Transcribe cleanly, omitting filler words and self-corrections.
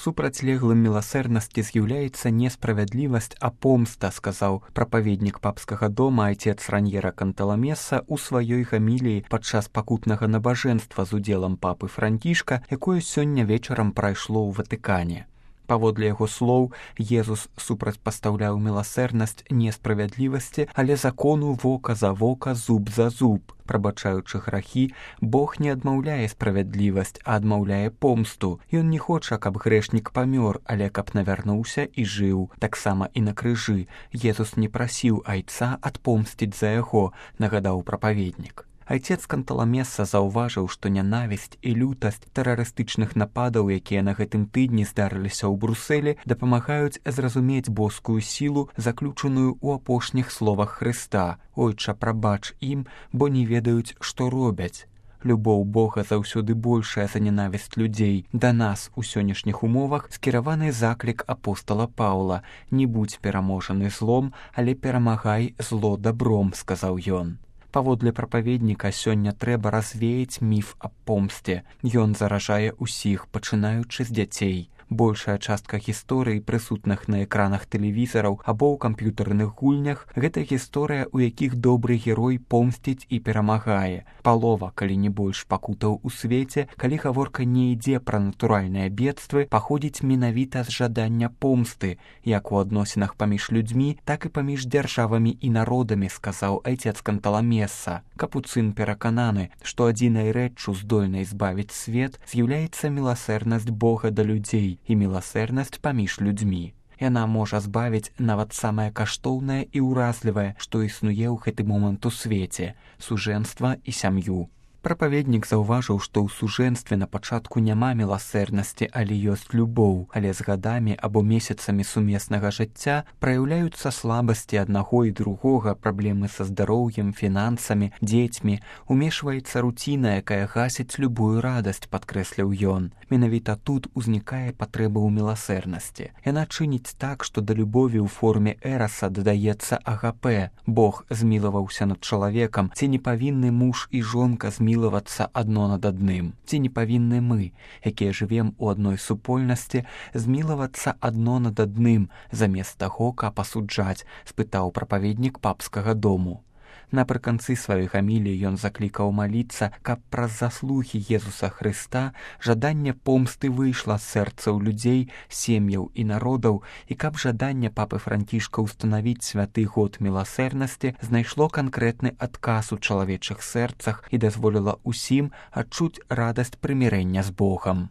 Супрацьлеглым міласэрнасці з'яўляецца не справядлівасць, а помста, сказаў прапаведнік папскага дома айцец Раньера Канталамеса ў сваёй гаміліі падчас пакутнага набажэнства з удзелам папы Францішка, якое сёння вечарам прайшло ў Ватыкане. Паводле яго слоў, Езус супрацьпастаўляў міласэрнасць не справядлівасці, але закону вока за вока, зуб за зуб. Прабачаючы грахі, Бог не адмаўляе справядлівасць, а адмаўляе помсту. Ён не хоча, каб грэшнік памёр, але каб навярнуўся і жыў. Таксама і на крыжы. Езус не прасіў айца адпомсціць за яго, нагадаў прапаведнік. Айцец Канталамеса заўважыў, што нянавісць і лютасць тэрарыстычных нападаў, якія на гэтым тыдні здарыліся ў Брусэлі, дапамагаюць зразумець боскую сілу, заключаную ў апошніх словах Хрыста: «Ойча, прабач ім, бо не ведаюць, што робяць». Любоў Бога заўсёды большая за нянавісць людзей. Да нас у сённяшніх умовах скіраваны заклік апостала Паўла: «Не будзь пераможаны злом, але перамагай зло дабром», сказаў ён. Паводле прапаведніка, сёння трэба развеяць міф аб помсце. Ён заражае ўсіх, пачынаючы з дзяцей. Большая частка гісторый, прысутных на экранах тэлевізараў або ў камп'ютарных гульнях, гэта гісторыя, у якіх добры герой помсціць і перамагае. Палова, калі не больш, пакутаў у свеце, калі гаворка не ідзе пра натуральныя бедствы, паходзіць менавіта з жадання помсты, як у адносінах паміж людзьмі, так і паміж дзяржавамі і народамі, сказаў айцец Канталамеса. Капуцын перакананы, што адзінай рэччу, здольнай збавіць свет, з'яўляецца міласэрнасць Бога да людзей і міласэрнасць паміж людзьмі. Яна можа збавіць нават самае каштоўнае і ўразлівае, што існуе ў гэты момант у свеце – сужэнства і сям'ю. Прапаведнік заўважыў, што ў сужэнстве на пачатку няма міласэрнасці, але ёсць любоў, але з гадамі або месяцамі сумеснага жыцця праяўляюцца слабасці аднаго і другога, праблемы са здароўем, фінансамі, дзецьмі, умешваецца руціна, якая гасіць любую радасць, падкрэсліў ён. Менавіта тут узнікае патрэба ў міласэрнасці. Яна чыніць так, што да любові ў форме эраса дадаецца агапе. Бог змілаваўся над чалавекам, ці не павінны муж і жонка змілавацца адно над адным? Ці не павінны мы, якія жывем у адной супольнасці, змілавацца адно над адным, замест таго, каб асуджаць, спытаў прапаведнік папскага дому. Напрыканцы сваёй гаміліі ён заклікаў маліцца, каб праз заслугі Езуса Хрыста жаданне помсты выйшла з сэрцаў людзей, сем'яў і народаў, і каб жаданне папы Францішка ўстанавіць святы год міласэрнасці знайшло канкрэтны адказ у чалавечых сэрцах і дазволіла ўсім адчуць радасць прымірэння з Богам.